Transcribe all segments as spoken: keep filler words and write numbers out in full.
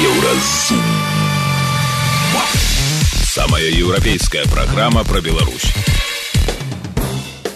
Еўразум. Самая еўрапейская программа про Беларусь.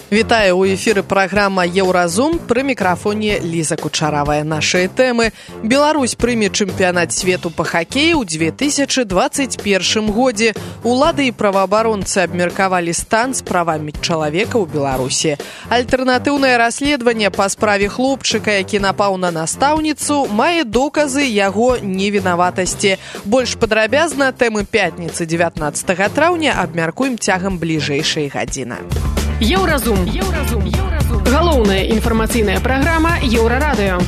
Вітаю, у эфіры праграма «Еўразум», пры мікрафоне Ліза Кучаравая. Нашыя тэмы. Беларусь прыме чэмпіянат свету па хакеі ў две тысячы дваццаць першым годзе. Улады і праваабаронцы абмеркавалі стан з правамі чалавека ў Беларусі. Альтэрнатыўнае расследаванне па справе хлопчыка, які напаў на настаўніцу, мае доказы яго невінаватасці. Больш падрабязна тэмы пятніцы дзевятнаццатага траўня абмяркуем цягам бліжэйшай гадзіны. Еўразум. Еўразум. Еўразум. Галоўная інфармацыйная праграма Еўрарадыё.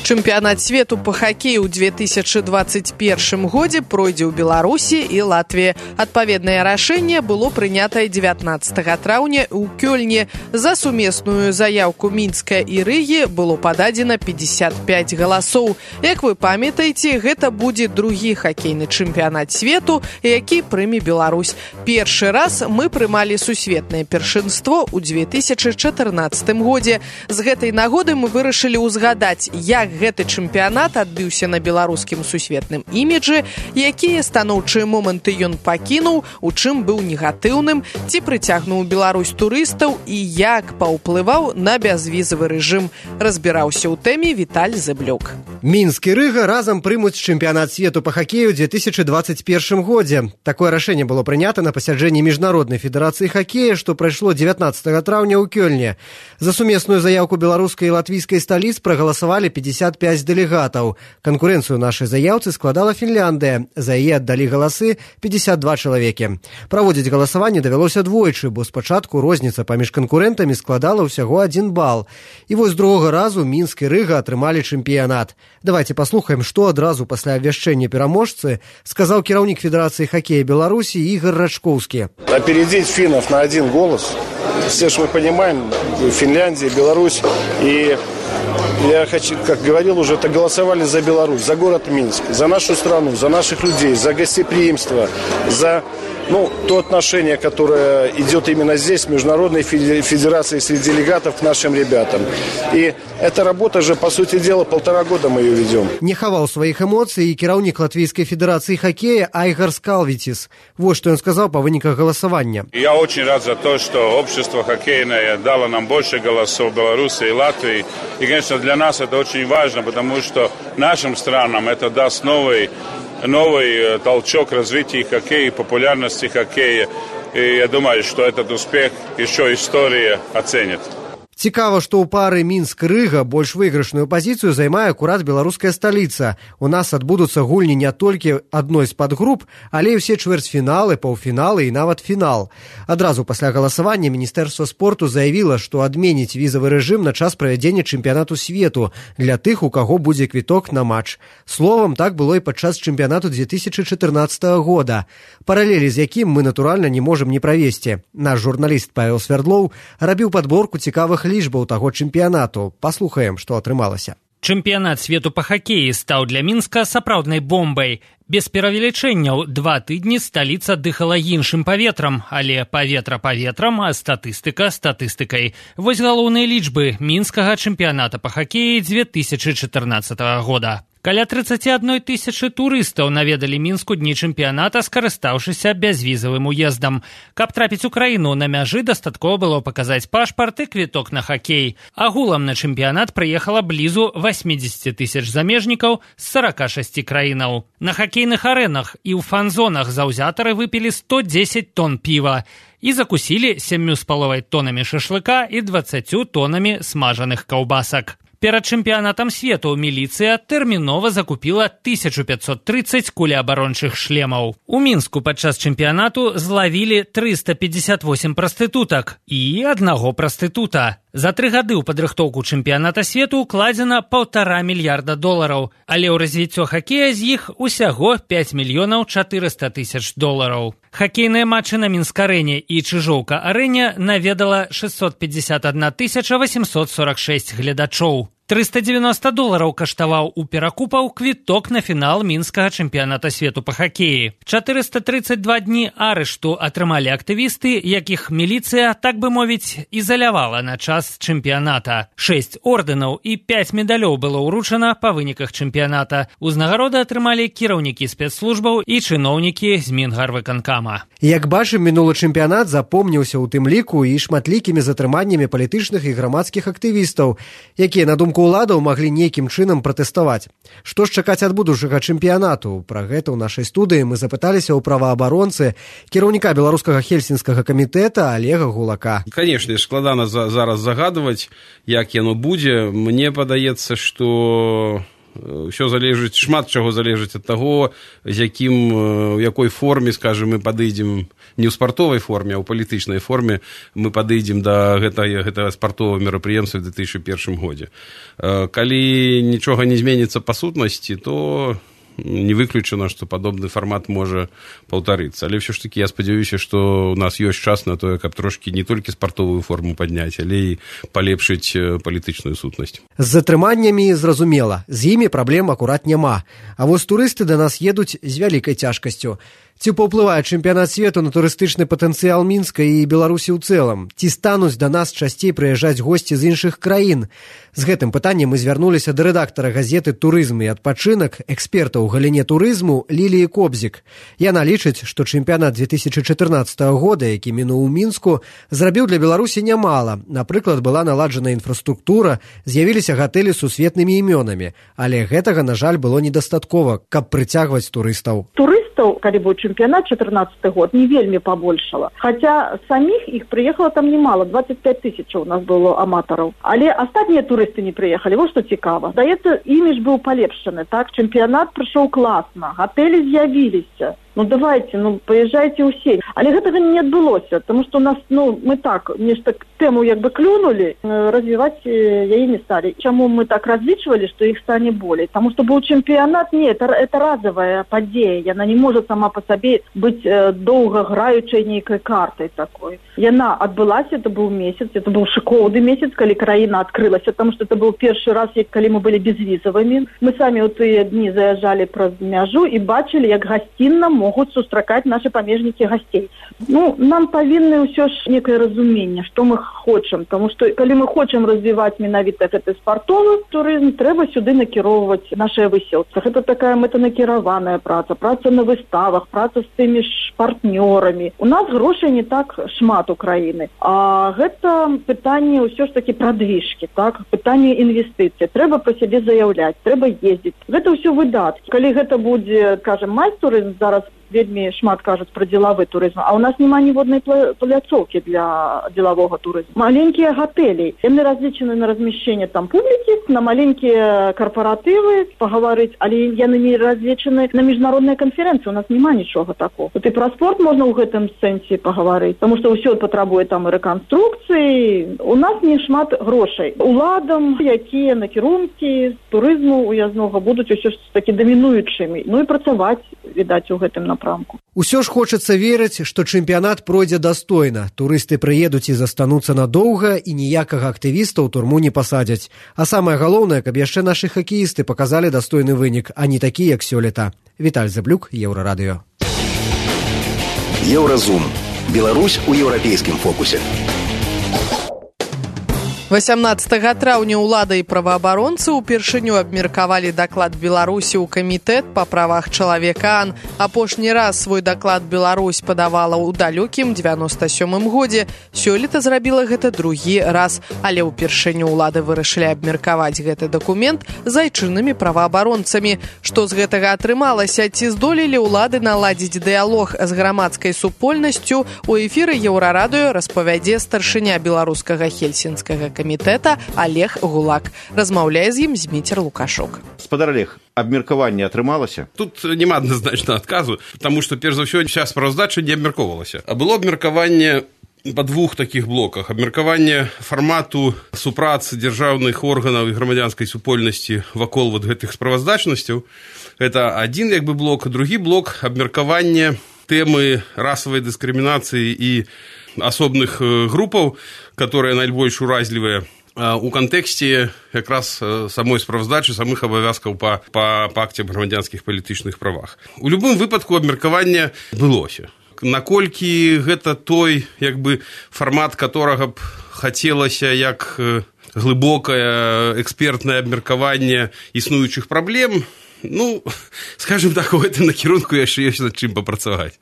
Чэмпіянат свету па хакеі ў две тысячы дваццаць першым годзе пройдзе ў Беларусі і Латвіі. Адпаведнае рашэнне было прынятае дзевятнаццатага траўня ў Кёльне. За сумесную заяўку Мінска і Рыгі было пададзена пятьдесят пять галасоў. Як вы памятаеце, гэта будзе другі хакейны чэмпіянат свету, які прыме Беларусь. Першы раз мы прымалі сусветнае першынство ў две тысячы чатырнаццатым годзе. З гэтай нагоды мы вырашылі ўзгадаць, як гэты чэмпіянат адбыўся на беларускім сусветным іміджы, якія станоўчыя моманты ён пакінуў, у чым быў негатыўным, ці прыцягнуў Беларусь турыстаў і як паўплываў на бязвізавы рэжым. Разбіраўся ў тэме Віталь Зэблюк. Мінск і Рыга разам прымуць чэмпіянат свету па хакею ў две тысячы дваццаць першым годзе. Такое рашэнне было прынята на пасяджэнні Міжнароднай федэрацыі хакея, што прайшло дзевятнаццатага траўня ў Кёльне. За сумесную заяўку беларускай і латвійскай сталіц прагаласавалі пятьдесят пять дэлегатаў. Канкурэнцыю нашай заяўцы складала Фінляндыя. За яе аддалі галасы пятьдесят два чалавекі. Праводзіць галасаванне давялося двойчы, бо спачатку розніца паміж канкурэнтамі складала ўсяго адзін бал. І вось другога разу Мінск і Рыга атрымалі чэмпіянат. Давайте паслухаем, што адразу пасля абвяшчэння пераможцы сказаў кіраўнік Федэрацыі хакея Беларусі Ігор Рачкоўскі. Опередить финнов на один голос. Все же мы понимаем, Финляндия, Беларусь и... Я хочу, как говорил уже, это голосовали за Беларусь, за город Минск, за нашу страну, за наших людей, за гостеприимство, за ну, то отношение, которое идет именно здесь, в Международной федерации среди делегатов к нашим ребятам. И эта работа же, по сути дела, полтора года мы ее ведем. Не хаваў сваіх эмоцый і кіраўнік Латвійскай федэрацыі хакея Айгар Скалвітис. Вот что он сказал по выніках голосования. Я очень рад за то, что общество хоккейное дало нам больше голосов в Беларуси и Латвии. И, конечно, для нас это очень важно, потому что нашим странам это даст новый, новый толчок развития хоккея, популярности хоккея. И я думаю, что этот успех еще история оценит. Цікава, што ў пары Мінск-Рыга больш выйгрышную пазіцыю займае акурат беларуская сталіца. У нас адбудуцца гульні не толькі адной з падгруп, але і ўсе чвэрцьфіналы, паўфіналы і нават фінал. Адразу пасля галасавання Міністэрства спорту заявіла, што адменіць візавы рэжым на час правядзення чэмпіянату свету для тых, у каго будзе квіток на матч. Словам, так было і падчас чэмпіянату две тысячы чатырнаццатага года, паралелі з якім мы, натуральна, не можам не правесці. Наш журналіст Павел Свердлоў рабіў падборку цікавых лічбаў таго чэмпіянату. Паслухаем, што атрымалася. Чэмпіянат свету па хакеі стаў для Мінска сапраўднай бомбай. Без перавелічэнняў два тыдні сталіца дыхала іншым паветрам, але паветра паветрам, а статыстыка статыстыкай. Вось галоўныя лічбы мінскага чэмпіяната па хакеі две тысячы чатырнаццатага года. Каля тридцать одна тысяча турыстаў наведалі Мінску дні чэмпіяната, скарыстаўшыся бязвізавым уездам. Каб трапіць у краіну, на мяжы дастаткова было паказаць пашпарт і квіток на хакей. Агулам на чэмпіянат прыехала блізу восемьдесят тысяч замежнікаў з сорока шасці краінаў. На хакейных арэнах і ў фан-зонах заўзятары выпілі сто дзесяць тонн піва і закусілі сямю з паловай тонамі шашлыка і дваццаццю тонамі смажаных каўбасак. Перад чэмпіянатам свету міліцыя тэрмінова закупіла тысячу пятьсот тридцать кулеабарончых шлемаў. У Мінску падчас чэмпіянату злавілі триста пятьдесят восемь прастытутак і аднаго прастытута. За тры гады ў падрыхтоўку чэмпіяната свету укладзена паўтара мільярда долараў, але ў развіццё хакея з іх усяго пять мільёнаў чатырыста тысяч долараў. Хакейныя матчы на Мінск-арэне і Чыжоўка-арэне наведала шестьсот пятьдесят одна тысяча восемьсот сорок шесть гледачоў. трыста дзевяноста долараў каштаваў у перакупаў квіток на фінал мінскага чэмпіяната свету па хакеі. чатырыста трыццаць два дні арышту атрымалі актывісты, якіх міліцыя, так бы мовіць, ізалявала на час чэмпіяната. Шэсць ордэнаў і пяць медалёў было ўручана па выніках чэмпіяната. Узнагароды атрымалі кіраўнікі спецслужбаў і чыноўнікі з Мінгарвыканкама. Як бачым, мінулы чэмпіянат запомніўся ў тым ліку і шматлікімі затрыманнямі палітычных і грамадскіх актывістаў, якія, на думку уладаў, маглі нейкім чынам пратэставаць. Што ж чакаць ад будучага чэмпіянату? Пра гэта ў нашай студыі мы запыталіся ў праваабаронцы, кіраўніка беларускага хельсінскага камітэта Олега Гулака. Канешне, складана за, зараз загадваць, як яно будзе. Мне падаецца, што ўсё залежыць, шмат чаго залежыць ад таго, з якім, у якой форме, скажем, мы падыдзем, не ў спартовай форме, а ў палітычнай форме мы падыдзем да гэтага, гэтага спартовага мерапрыемства ў две тысячы першым годзе. Калі нічога не зменіцца па сутнасці, то не выключана, што падобны фармат можа паўтарыцца. Але ўсё ж такі я спадзяюся, што у нас ёсць час на тое, каб трошкі не толькі спартовую форму падняць, але і палепшыць палітычную сутнасць. З затрыманнямі зразумела, з імі праблем акурат няма. А вось турысты да нас едуць з вялікай цяжкасцю. Ці паўплывае чэмпіянат свету на турыстычны патэнцыял Мінска і Беларусі ў цэлым? Ці стануць да нас часцей прыязджаць госці з іншых краін? З гэтым пытаннем мы звярнуліся да рэдактара газеты «Турызм і адпачынак», эксперта ў галіне турызму Ліліі Кобзік. Яна лічыць, што чэмпіянат две тысячы чатырнаццатага года, які мінуў у Мінску, зрабіў для Беларусі нямала. Напрыклад, была наладжана інфраструктура, з'явіліся гатэлі з сусветнымі імёнамі. Але гэтага, на жаль, было недастаткова, каб прыцягваць турыстаў. Турыстаў, калі быў чэмпіянат чатырнаццаты год, не вельмі пабольшала. Хаця саміх іх прыехала там немало, двадцать пять тысяч у нас было аматараў. Але астатнія турысты не прыехалі, вот што цікава. Здаецца, імідж быў палепшаны, так? Чэмпіянат прайшоў класна, гатэлі з'явіліся. Ну давайте, ну паязджайце ўсе. Але гэтага не адбылося, тому што у нас, ну, мы так, нешта тэму як бы клюнули, развіваць яе не сталі. Чаму мы так разлічвалі, што іх стане болей? Таму што быў чэмпіянат, не, это, это разовая падзея, яна не можа сама па сабе быць э, доўга граючай нейкай картай такой. Яна адбылася, это быў месяц, это быў шыкоўны месяц, калі краіна адкрылася, таму што это быў першы раз, як калі мы былі безвізавымі. Мы самі ў тыя дні заязджалі праз мяжу і бачылі, як гасцінна могуць сустракаць нашы памежнікі гасцей. Ну, нам павінны ўсё ж некае разуменне, што мы хочам, таму што калі мы хочам развіваць менавіта гэты спартовы турызм, трэба сюды накіроўваць нашыя высілцы. Гэта такая мэтанакіраваная праца, праца на выставах, праца з тымі ж партнёрамі. У нас грошай не так шмат у краіны, а гэта пытанне ўсё ж такі прадвижкі, так? Пытанне інвестыцый. Трэба пра сябе заяўляць, трэба ездзіць. Гэта ўсё выдаткі. Калі гэта будзе, кажам, майстурызм, зараз вельмі шмат кажуць пра дзелавы турызм, а ў нас няма ніводнай пляцоўкі для дзелавога турызму. Маленькія гатэлі, яны разлічаны на размяшчэнне там публікі, на маленькія карпаратывы пагаварыць, але яны не разлічаны на міжнародныя канферэнцыі, у нас няма нічога такого. Тут і пра спорт можна ў гэтым сэнсе пагаварыць, таму што ўсё патрабуе там і рэканструкцыі. У нас не шмат грошай. Уладам, якія накірункі турызму уязнога будуць усё ж такі дамінуючымі, ну і працаваць, відаць, у гэтым напрамку. Усё ж хочацца верыць, што чэмпіянат пройдзе дастойна. Турысты прыедуць і застануцца надоўга, і ніякага актывіста ў турму не пасадзяць. А самае галоўнае, каб яшчэ нашы хакеісты паказалі дастойны вынік, а не такі, як сёлета. Віталь Заблюк, Еўрарадыё. Еўразум. Беларусь у еўрапейскім фокусе. васямнаццатага траўня ўлада і праваабаронцы ўпершыню абмеркавалі даклад Беларусі ў камітэт па правах чалавека. Апошні раз свой даклад Беларусь падавала ў далёкім дзевяноста сёмым годзе. Сёлета зрабіла гэта другі раз, але ўпершыню ўлады вырашылі абмеркаваць гэты дакумент з айчыннымі праваабаронцамі. Што з гэтага атрымалася? Ці здолелі ўлады наладзіць дыялог з грамадскай супольнасцю? У эфіры Еўрарадыё распавядзе старшыня беларускага хельсінскага камітэта камітэта Олег Гулак. Размаўляе з ім Зміцер Лукашук. Спадар Олег, абмеркаванне атрымалася? Тут няма адназначна адказу, таму што, перш за ўсё, вся справаздача не абмяркоўвалася. А было абмеркаванне па двух такіх блоках. Абмеркаванне фармату супрацы дзяржаўных органаў і грамадзянскай супольнасці вакол вот гэтых справаздачнасцяў. Гэта адзін як бы блок, другі блок абмеркаванне тэмы расавай дыскрымінацыі і асобных групаў, которые найбольш уразлівыя. у кантэксце якраз самой справаздачы самых абавязкаў па, па пакце аб грамадзянскіх палітычных правах. У любым выпадку абмеркаванне былося. Наколькі гэта той як бы фармат, которага б хацелася як глыбокае экспертнае абмеркаванне існуючых праблем, ну, скажем так, у гэтым накірунку яшчэ ёсць над чым папрацаваць.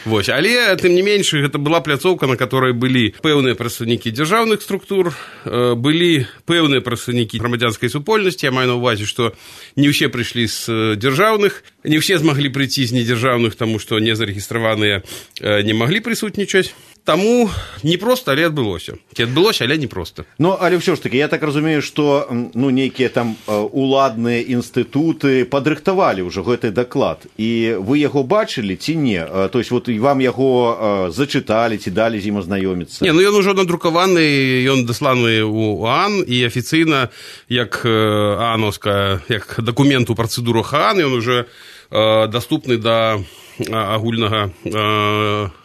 Вось. Але, тым не менш, гэта была пляцоўка, на которой былі пэўныя прадстаўнікі дзяржаўных структур, былі пэўныя прадстаўнікі грамадзянскай супольнасці. Я маю на ўвазе, што не ўсе прыйшлі з дзяржаўных, не ўсе змаглі прыйти з недзяржаўных, таму што незарэгістраваныя не маглі прысутнічаць. Таму не проста, але адбылося. Ці адбылося, але не проста. Ну, але ўсё ж таки, я так разумею, што ну, нейкія там уладныя інстытуты падрыхтавалі ўжо гэты даклад. І вы яго бачылі ці не? То есть, вот вам яго зачыталі, ці далі з ім азнаёміцца? Не, ну ён ужо надрукаваны, ён дасланы ў ААН, і афіцыйна, як ААНовская, як дакумент у працэдурах ААН, ён уже доступны да агульнага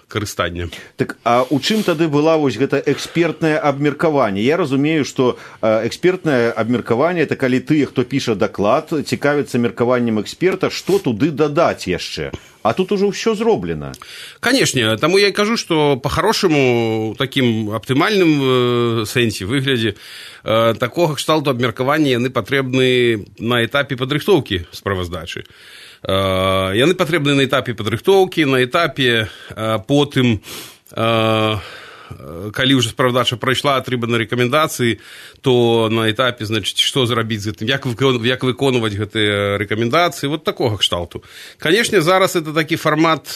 карыстання. Так, а у чым тады была вось гэта экспертнае абмеркаванне? Я разумею, што экспертнае абмеркаванне – это калі тыя, хто піша даклад, цікавіцца меркаваннем эксперта, што туды дадаць яшчэ? А тут уже ўсё зроблена. Канешне, таму я і кажу, што па-харошаму, такім аптымальным сэнсе, выглядзе, такога кшталту абмеркавання яны патрэбны на этапе падрыхтоўкі справаздачы. Яны патрэбны на этапе падрыхтоўкі, на этапе потым, калі ўжо справаздача прайшла, атрыманы рэкамендацыі, то на этапе, значыць, што зрабіць з гэтым, як, як выконваць гэтыя рэкамендацыі, вот такога кшталту. Канешне, зараз это такі фармат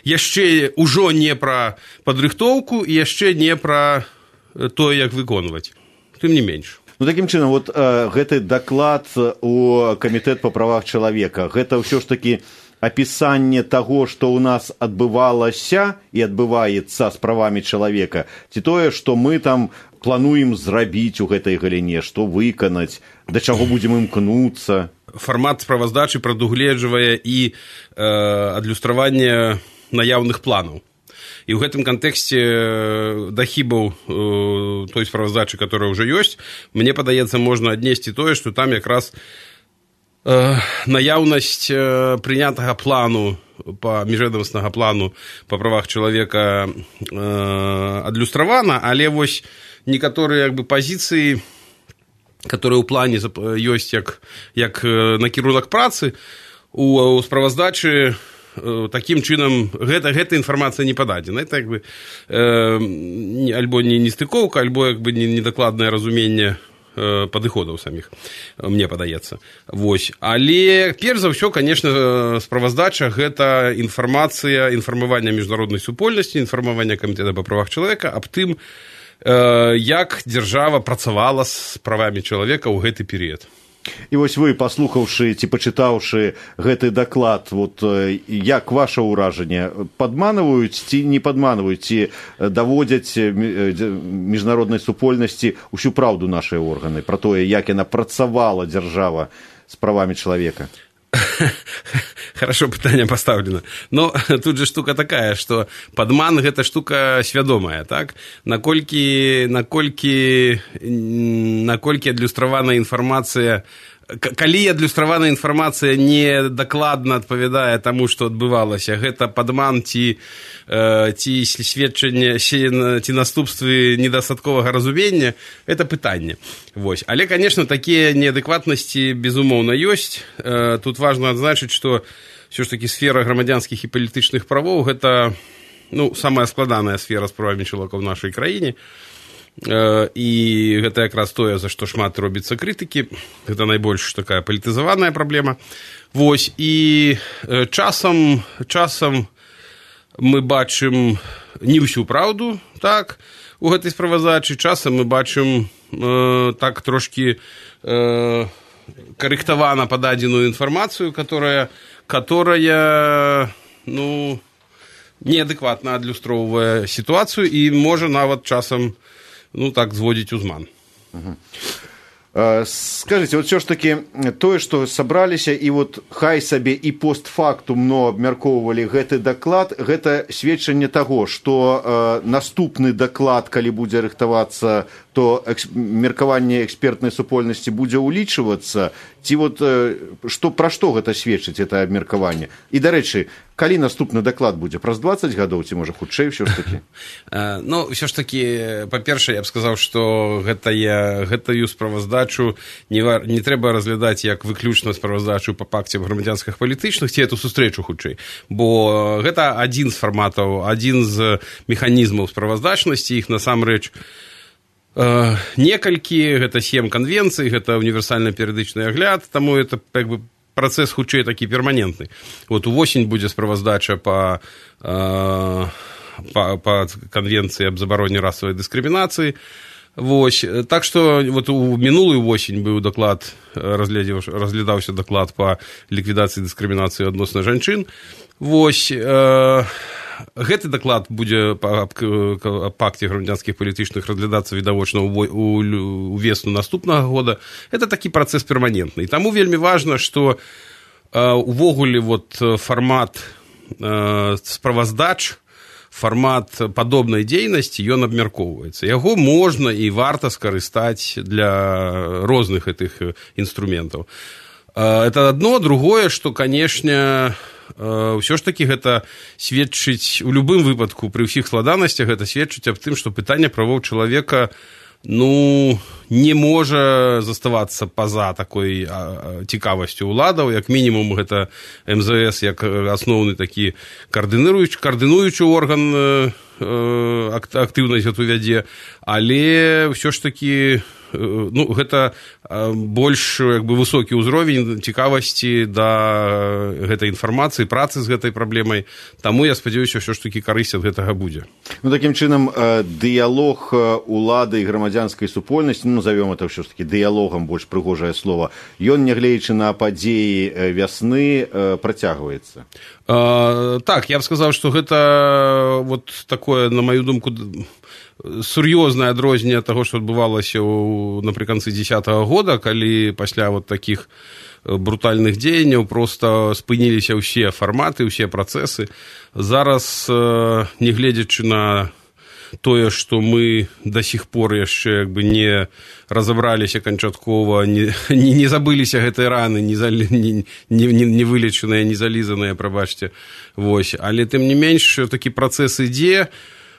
яшчэ ўжо не пра падрыхтоўку і яшчэ не пра тое, як выконваць. Тым не менш. Ну, такім чынам, вот э, гэты даклад у камітэт па правах чалавека, гэта ўсё ж такі апісанне таго, што ў нас адбывалася і адбываецца з правамі чалавека, ці тое, што мы там плануем зрабіць у гэтай галіне, што выканаць, да чаго будзем імкнуцца? Фармат справаздачы прадугледжвае і э, адлюстраванне наяўных планаў. І ў гэтым кантэксце да хібаў э, той справаздачы, которая ўжо ёсць, мне падаецца, можна аднесці тое, што там якраз э, наяўнасць э, прынятага плану, па міжведамаснага плану па правах чалавека э, адлюстравана, але вось некаторыя як бы пазіцыі, которые ў плане ёсць як, як накірунак працы, у, у справаздачы таким чынам гэта, гэта інфармацыя не пададзена. Это як бы э, альбо не нестыкоўка, альбо як бы недакладнае разуменне э, падыходаў саміх, мне падаецца. Вось. Але перш за ўсё, конечно, справаздача гэта інфармацыя, інфармаванне міжнароднай супольнасці, інфармаванне камітэта па правах чалавека аб тым, э, як дзяржава працавала з правамі чалавека ў гэты перыяд. І вось вы, паслухаўшы ці пачытаўшы гэты даклад, вот, як ваше ўражанне, падманваюць ці не падманваюць, ці даводзяць міжнароднай супольнасці ўсю праўду нашай органы пра тое, як яна працавала дзяржава з правамі чалавека? Хорошо, пытанне пастаўлена. Но тут же штука такая, што падман гэта штука свядомая, так? Наколькі, наколькі, наколькі адлюстраваная інфармацыя, калі адлюстраваная інфармацыя не дакладна адпавядае таму, што адбывалася, гэта падман ці, ці сведчанне, ці наступствы недастатковага разумення, это пытанне. Вось. Але, конечно, такія неадэкватнасці, безумоўна, ёсць. Тут важна адзначыць, што ўсё ж такі сфера грамадзянскіх і палітычных правоў гэта, ну, самая складаная сфера з правамі чалавека ў нашай краіне. І гэта якраз тое, за што шмат робіцца крытыкі, гэта найбольш такая палітызаваная праблема. Вось, і часам, часам мы бачым не ўсю праўду, так, у гэтай справаздачы, часам мы бачым э, так трошкі э, карэктавана пададзеную інфармацыю, которая, которая, ну, неадэкватна адлюстроўвае сітуацыю і можа нават часам, ну, так, зводзіць узман. Скажите, вот все ж таки тое, што сабраліся і вот хай сабе і постфактум, но абмяркоўвалі гэты даклад, гэта сведчанне таго, што э, наступны даклад, калі будзе рыхтавацца, то экс... меркаванне экспертнай супольнасці будзе ўлічвацца, ці вот э, што, пра што гэта сведчыць, это абмеркаванне? І, дарэчы, калі наступны даклад будзе? Праз дваццаць гадоў, ці можа хутчэй ўсё ж такі? Ну, ўсё ж такі, па-першае, я б сказаў, што гэтая, гэтую справаздачу не, не трэба разглядаць як выключна справаздачу па пакце грамадзянскіх палітычных, ці эту сустрэчу хутчэй, бо гэта адзін з фарматаў, адзін з механізмаў справаздачнасці, іх насамрэч э, некалькі, гэта сем канвенцый, гэта універсальны перыядычны агляд, таму это як бы працэс хутчэй такі перманентны. Вот увосень будзе справаздача па, э, па, па канвенцыі аб забароне расавай дыскрымінацыі. Вось. Так што вот у мінулую восень быў даклад, разглядаўся даклад па ліквідацыі дыскрымінацыі адносна жанчын. Вось. Э, гэты даклад будзе па пакце грамадзянскіх палітычных разглядацца відавочна ў весну наступнага года. Это такі працэс перманентны. І таму вельмі важна, што э, увогуле вот фармат э, справаздач, фармат падобнай дзейнасці, ён абмяркоўваецца. Яго можна і варта скарыстаць для розных гэтых інструментаў. Это адно, другое, што, канешне, ўсё ж такі гэта сведчыць, у любым выпадку, пры ўсіх складанасцях, гэта сведчыць аб тым, што пытанне правоў чалавека, ну, не можа заставацца па-за такой цікавасцю ўладаў, як мінімум гэта эм зэ эс як асноўны такі каардынуючы, каардынуючы орган актыўнасць гэту вядзе, але ўсё ж такі ну, гэта больш як бы высокі ўзровень цікавасці да гэтай інфармацыі, працы з гэтай праблемай. Таму я спадзяюся, ўсё ж такі карысць ад гэтага будзе. Ну, такім чынам, дыялог улады і грамадзянскай супольнасці, ну, назовём это ўсё ж такі дыялогам, больш прыгожае слова, ён, нягледзячы на падзеі вясны, працягваецца. А, так, я б сказаў, што гэта вот такое, на маю думку, сур'ёзнае адрозненне таго, што адбывалася ў, напрыканцы дзесятага года, калі пасля вот такіх брутальных дзеянняў проста спыніліся ўсе фарматы, ўсе працэсы. Зараз, нягледзячы на тое, што мы да сіх пор яшчэ як бы не разабраліся канчаткова, не, не, не забыліся гэтай раны, не, не, не, не вылечаныя, не залізаныя, прабачце. Вось. Але тым не менш, такі працэс ідзе.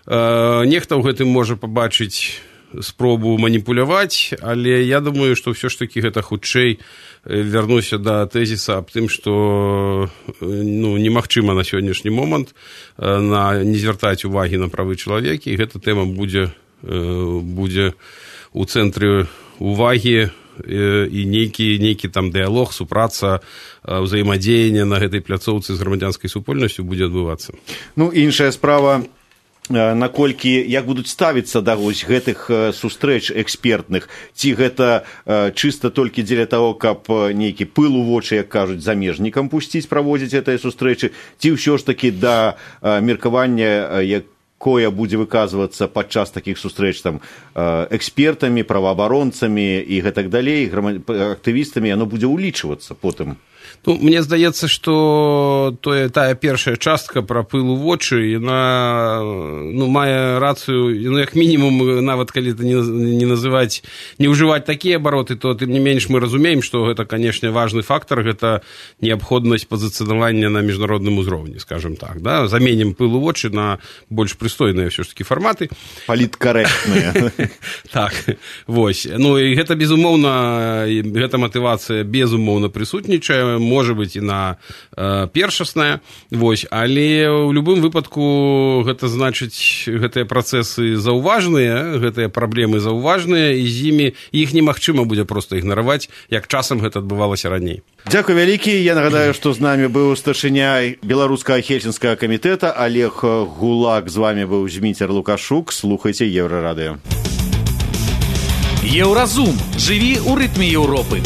Нехта ў гэтым можа пабачыць спробу маніпуляваць, але я думаю, што ўсё ж такі гэта хутчэй вярнуся да тэзіса аб тым, што ну, немагчыма на сённяшні момант на, не звяртаць увагі на правы чалавека, і гэта тэма будзе, будзе у цэнтры увагі, і нейкі, нейкі там дыялог, супраца, ўзаемадзеянне на гэтай пляцоўцы з грамадзянскай супольнасцю будзе адбывацца. Ну, іншая справа, наколькі, як будуць ставіцца да вось гэтых сустрэч экспертных, ці гэта чыста толькі дзеля таго, каб нейкі пыл у вочы, як кажуць, замежнікам пусціць, праводзіць гэтыя сустрэчы, ці ўсё ж такі да меркавання, якое будзе выказвацца падчас такіх сустрэч там экспертамі, праваабаронцамі і гэтак далей, актывістамі, яно будзе ўлічвацца потым. Ну, мне здаецца, што тое, тая першая частка пра пыл у вочы, яна ну, мае рацыю, ну, як мінімум, нават калі это не, не называць, не ўжываць такія абароты, то тым не менш мы разумеем, што гэта, канешне, важны фактар, гэта неабходнасць пазіцыянавання на міжнародным узроўні, скажем так. Да? Заменім пыл у вочы на больш прыстойныя ўсё ж такі фарматы. Паліткарэктныя. Так, вось. Ну, і гэта, безумоўна, гэта матывацыя, безумоўна, прысутнічае, можа быць і на э, першасная, вось, але ў любым выпадку гэта значыць, гэтыя працэсы заўважныя, гэтыя праблемы заўважныя, і з імі іх немагчыма будзе проста ігнараваць, як часам гэта адбывалася раней. Дзякуй вялікі. Я нагадаю, што з намі быў старшыня беларускага хельсінскага камітэта Олег Гулак, з вамі быў Зміцер Лукашук. Слухайце Еўрарадыё. Еўразум. Жыві ў рытме Еўропы.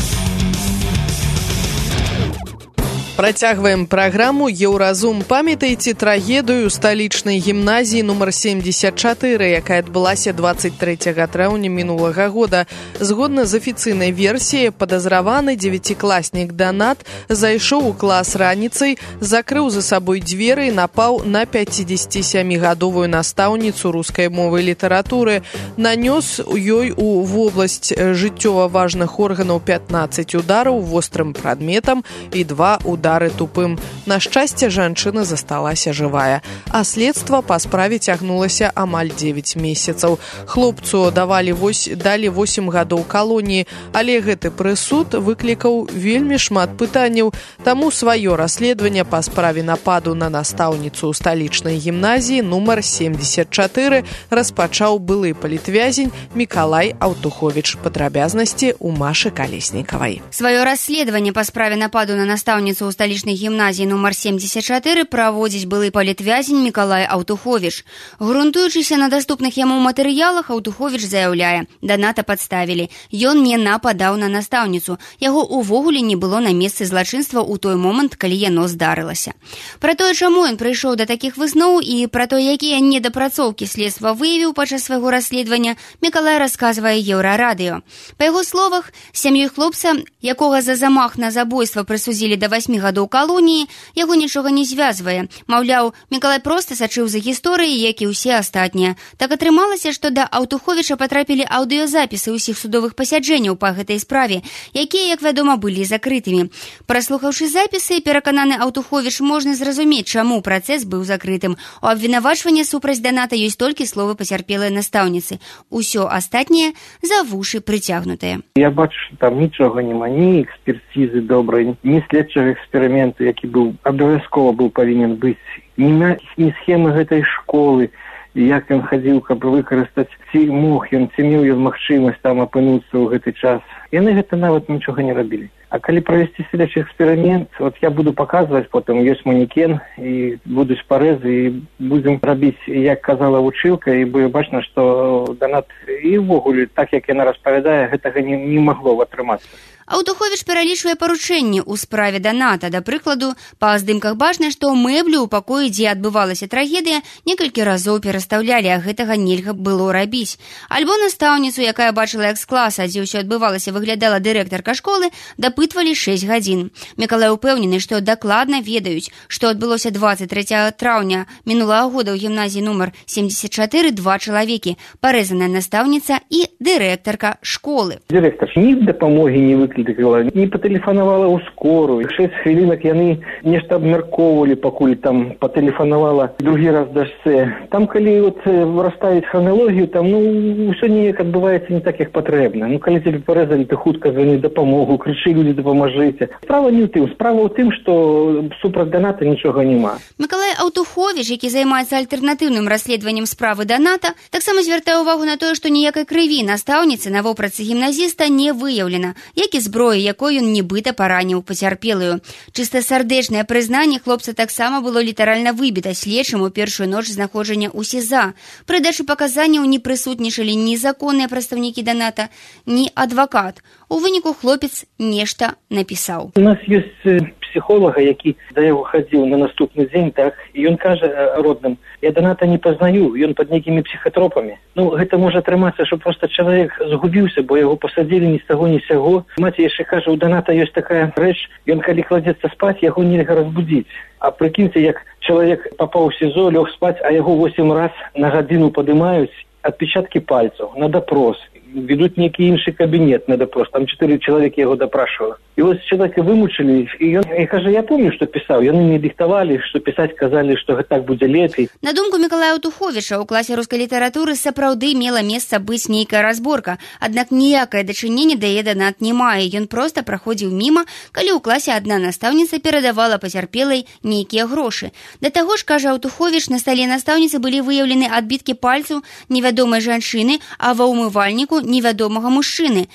Працягваем праграму «Еўразум». Памятаеце трагедыю сталічнай гімназіі нумар семьдесят чатыры, якая адбылася двадцать трэцяга траўня мінулага года. Згодна з афіцыйнай версіяй, падазраваны дзевяцікласнік Данат зайшоў у клас раніцай, закрыў за сабой дзверы і напаў на пяцідзесяцісямігадовую настаўніцу рускай мовы і літаратуры. Нанёс ёй у вобласць жыццёва важных органаў пятнаццаць удараў вострым прадметам і два удары тупым. На шчасце, жанчына засталася жывая, а следства па справе цягнулася амаль дзевяць месяцаў. Хлопцу давалі вось, далі восем гадоў калоніі, але гэты прысуд выклікаў вельмі шмат пытанняў, таму сваё расследаванне па справе нападу на настаўніцу ў сталічнай гімназіі нумар семьдесят чатыры распачаў былы палітвязень Мікалай Аўтуховіч. Падрабязнасці ў Машы Калеснікавай. Сваё расследаванне па справе нападу на настаўніцу ў сталічнай гімназіі нумар семьдесят чатыры праводзіць былы палітвязень Мікалай Аўтуховіч. Грунтуючыся на даступных яму матэрыялах, Аўтуховіч заяўляе: Даната падставілі. Ён не нападаў на настаўніцу. Яго увогуле не было на месцы злачынства ў той момант, калі яно здарылася. Пра тое, чаму ён прыйшоў да такіх высноў і пра то, якія недапрацоўкі следства выявіў падчас свайго расследавання, Мікалай расказвае Еўрарадыё. Па яго словах, сям'ёй хлопца, якога за замах на забойства прысудзілі да васьмі гадоў калоніі, яго нічога не звязвае. Маўляў, Мікалай проста сачыў за гісторыяй, як і ўсе астатнія. Так атрымалася, што да Аўтуховіча патрапілі аўдыёзапісы ўсіх судовых пасяджэнняў па гэтай справе, якія, як вядома, былі закрытымі. Праслухаўшы запісы, перакананы Аўтуховіч, можна зразумець, чаму працэс быў закрытым. У абвінавачванні супраць Даната ёсць толькі словы пацярпелай настаўніцы. Усё астатняе за вушы прыцягнутае. Я бачу, што там нічога няма, ні экспертизы добрай, ні следчага эксперыменту, які быў абавязкова быў павінен быць, ні, ні схемы гэтай школы, як ён хадзіў, каб выкарыстаць, ці мог ён, ці меў ён магчымасць там апынуцца ў гэты час. Яны гэта нават нічога не рабілі. А калі правесці следчы эксперымент, вот я буду паказваць, потым ёсць манекен, і будуць парэзы, і будзем рабіць, як казала вучылка, і будзе бачна, што Данат і ўвогуле, так як яна распавядае, гэтага не, не магло атрымацца. Аўтуховіч пералічвае паручэнні ў справе Даната. Да прыкладу, па здымках бачна, што мэблю ў пакоі, дзе адбывалася трагедыя, некалькі разоў перастаўлялі, а гэтага нельга было рабіць. Альбо настаўніцу, якая бачыла экс-класа, дзе ўсё адбывалася, выглядала дырэктарка школы, дапытвалі шэсць гадзін. Мікалай упэўнены, што дакладна ведаюць, што адбылося двадцать трэцяга траўня мінулага года ў гімназіі нумар семьдесят чатыры два чалавекі, парэзаная настаўніца і дырэктарка школы. Дырэктар ні дапамогі не выклікала, не патэлефанавала ў скорую. Шэсць хвілінак яны нешта абмяркоўвалі, пакуль там патэлефанавала другі раз дачцэ. Там, калі вот расставіць храналогію, там, ну, ўсё неяк адбываецца не так, як патрэбна. Ну, калі тебе парэзалі, ты хутка звоні дапамогу, крычы, людзі, дапамажыце. Справа не ў тым, справа ў тым, што супраць Даната нічога няма. Мікалай Аўтуховіч, які займаецца альтэрнатыўным расследаваннем справы Даната, таксама звяртае ўвагу на тое, што ніякай крыві настаўніцы на вопратцы гімназіста не выяўлена, як і зброі, якой ён нібыта параніў пацярпелую. Чыста сардэчнае прызнанне хлопца таксама было літаральна выбіта следчым у першую ноч знаходжання ў СІЗА. Пры дачы паказанняў не прысутнічалі ні законныя прадстаўнікі Даната, ні адвакат. У выніку хлопец нешта напісаў. У нас ёсць псіхолага, які да яго хадзіў на наступны дзень, так, і ён кажа родным: я Даната не пазнаю, ён пад нейкімі псіхатропамі. Ну, гэта можа атрымацца, што проста чалавек згубіўся, бо яго пасадзілі ні з таго, ні з сяго. Маці яшчэ кажа, у Даната ёсць такая рэч, ён калі кладзецца спаць, яго нельга разбудзіць. А прыкіньце, як чалавек папаў у СІЗО, лёг спаць, а яго восем раз на гадзіну падымаюць, адпечаткі пальцаў на допрос, ведуць нейкі іншы кабінет на допрос, там чатыры чалавекі яго дапрашвала. І вось чалавека вымучылі, і ён і кажа: я помню, што пісаў, яны мне дыктавалі, што пісаць, казалі, што так будзе лепей. На думку Мікалая Аўтуховіча, у класе рускай літаратуры сапраўды мела месца быць нейкая разборка, аднак ніякае дачыненне да яе Данат не мае. Ён проста праходзіў міма, калі ў класе адна настаўніца перадавала пацярпелай нейкія грошы. Да таго ж, кажа Аўтуховіч, на стале настаўніцы былі выяўлены адбіткі пальцаў невядомай жанчыны, а ва ўмывальніку невядомага мужчыны.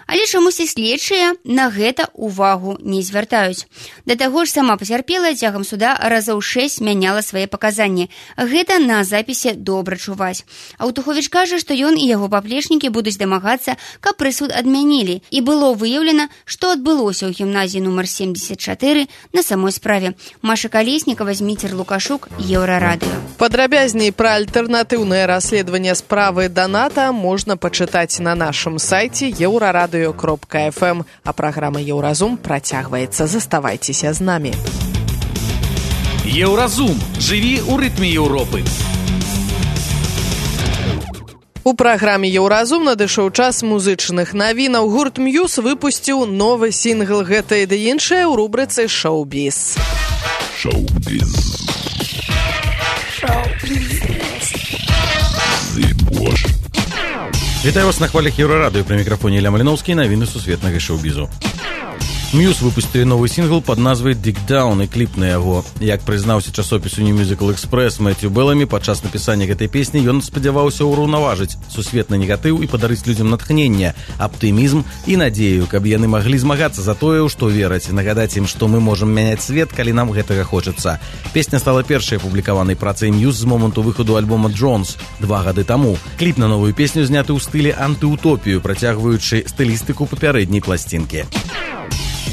Але чамусьці следчыя на гэта увагу не звяртаюць. Да таго ж сама пацярпелая цягам суда разоў шэсць мяняла свае паказанні. Гэта на запісе добра чуваць. Аўтуховіч кажа, што ён і яго паплечнікі будуць дамагацца, каб прысуд адмянілі. І было выяўлена, што адбылося ў гімназіі нумар семьдесят чатыры на самой справе. Маша Калеснікава, Зміцер Лукашук, Еўрарадыё. Падрабязней пра альтэрнатыўнае расследаванне справы Даната можна пачытаць на нашым сайце еўрарадыё кропка эф эм. А праграма «Еўразум» працягваецца. Заставайцеся з намі. Еўразум. Жыві ў рытме Еўропы. У праграме «Еўразум» надышоў час музычных навінаў. Гурт «Мьюз» выпусціў новы сінгл «Гэта і да іншае» ў рубрыцы «Шоу-біз». Шоу-біз. Вітаю вас на хвалях Еўрарадыё. Пры мікрафоне Ілля Маліноўскі, навіны сусветнага шоу-бізу. Мьюз выпустили новый сингл под назвай «Dig Down» и клип на яго. Як прызнаўся часопісу New Musical Express Мэцью Беллами, падчас напісання гэтай песні ён спадзяваўся ўраўнаважыць сусветны негатыў і падарыць людзям натхнення, аптымізм і надзею, каб яны маглі змагацца за тое, у што вераць, нагадаць ім, што мы можам мяняць свет, калі нам гэтага хочацца. Песня стала першай апублікаванай працай Мьюз з моманту выхаду альбома «Джонс» два гады таму. Кліп на новую песню зняты ў стылі антыутопію, працягваючы стылістыку папярэдняй пласцінкі.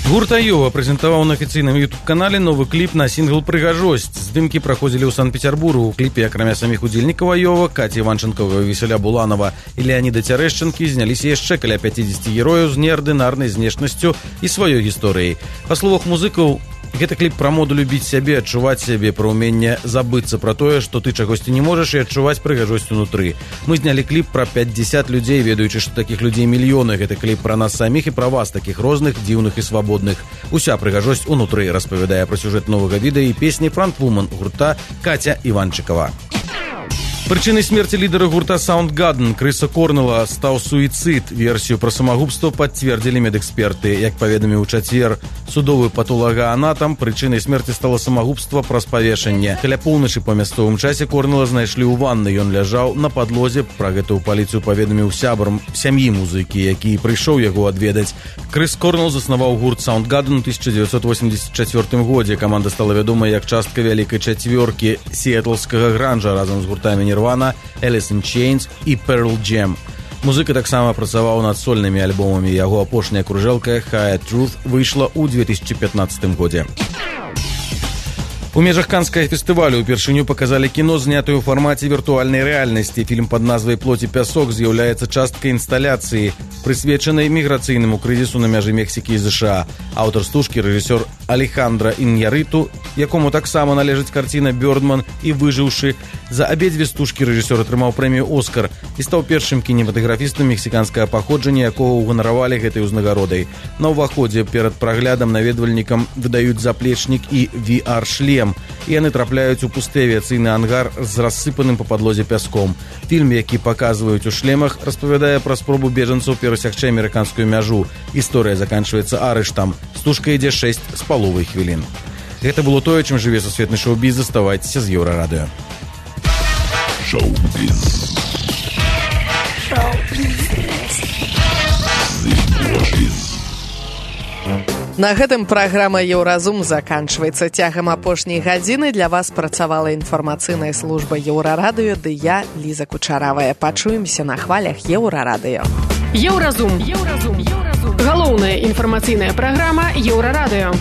Гурт Айова прэзентаваў на афіцыйным ютуб-канале новы кліп на сінгл «Прыгажосць». Здымкі праходзілі ў Санкт-Петербургу. У кліпе, акрамя саміх удзельнікаў Айова, Каці Іванчынкова, Весяля Буланова і Леаніда Цярэшчынкі, зняліся яшчэ каля пяцідзесяці герояў з неардынарнай знешнасцю і сваёй гісторыяй. Па словах музыкаў, гэта кліп пра моду любіць сябе, адчуваць сябе, пра ўменне забыцца пра тое, што ты чагосьці не можаш, і адчуваць прыгажосць унутры. Мы знялі кліп пра пяцьдзясят людзей, ведаючы, што такіх людзей мільёны. Гэта кліп пра нас саміх і пра вас, такіх розных, дзіўных і свабодных. Уся прыгажосць унутры, распавядае пра сюжэт новага відэа і песні фронтвумен гурта Каця Іванчыкова. Прычынай смерці лідара гурта Soundgarden Крыса Корнела стаў суіцыд. Версію пра самагубства пацвердзілі медэксперты. Як паведаміў у чацвер судовы патолагаанатам, прычынай смерці стала самагубства праз павешанне. Каля поўначы па мясцовым часе Корнела знайшлі ў ванны. Ён ляжаў на падлозе. Пра гэта ў паліцыю паведаміў сябрам сям'і музыкі, які прыйшоў яго адведаць. Крыс Корнел заснаваў гурт Soundgarden у тысяча дзевяцьсот восемьдесят чацвёртым годзе. Каманда стала вядомая як частка вялікай чацвёркі сіэтлскага гранжа разам з гуртамі Nirvana, Alice in Chains і Pearl Jam. Музыка таксама працаваў над сольнымі альбомамі. Яго апошняя кружэлка «Higher Truth» выйшла ў две тысячи пятнадцатым годзе. У межах Канскага фестывалю упершыню паказалі кіно, знятую ў фармаце віртуальнай рэальнасці. Фільм пад назвай «Плоть і пясок» з'яўляецца часткай інсталяцыі, прысвечанай міграцыйнаму крызісу на мяжы Мексікі і ЗША. Аўтар стужкі рэжысёр Алехандра Іньярыту, якому таксама належыць карціна «Бёрдман» і «Выжыўшы». За абедзве стужкі рэжысёр атрымаў прэмію «Оскар» і стаў першым кінематаграфістам мексіканскага паходжання, якога ўганаравалі гэтай узнагародай. На ўваходзе перад праглядам наведвальнікам выдаюць заплечнік і ви ар-шлем. І яны трапляюць у пусты авіяцыйны ангар з рассыпаным па падлозе пяском. Фільм, які паказваюць у шлемах, распавядае пра спробу бежанцаў перасягчы амерыканскую мяжу. Гісторыя заканчваецца арыштам. Стужка ідзе шэсць з паловай хвілін. Гэта было тое, чым жыве сусветны шоу-біз. Заставайцеся з Еўрарадыё. Шоу-біз. На гэтым праграма «Еўразум» заканчваецца. Цягам апошняй гадзіны для вас працавала інфармацыйная служба Еўрарадыё, ды я, Ліза Кучаравая. Пачуемся на хвалях Еўрарадыё. Еўразум. Еўразум. Галоўная інфармацыйная праграма Еўрарадыё.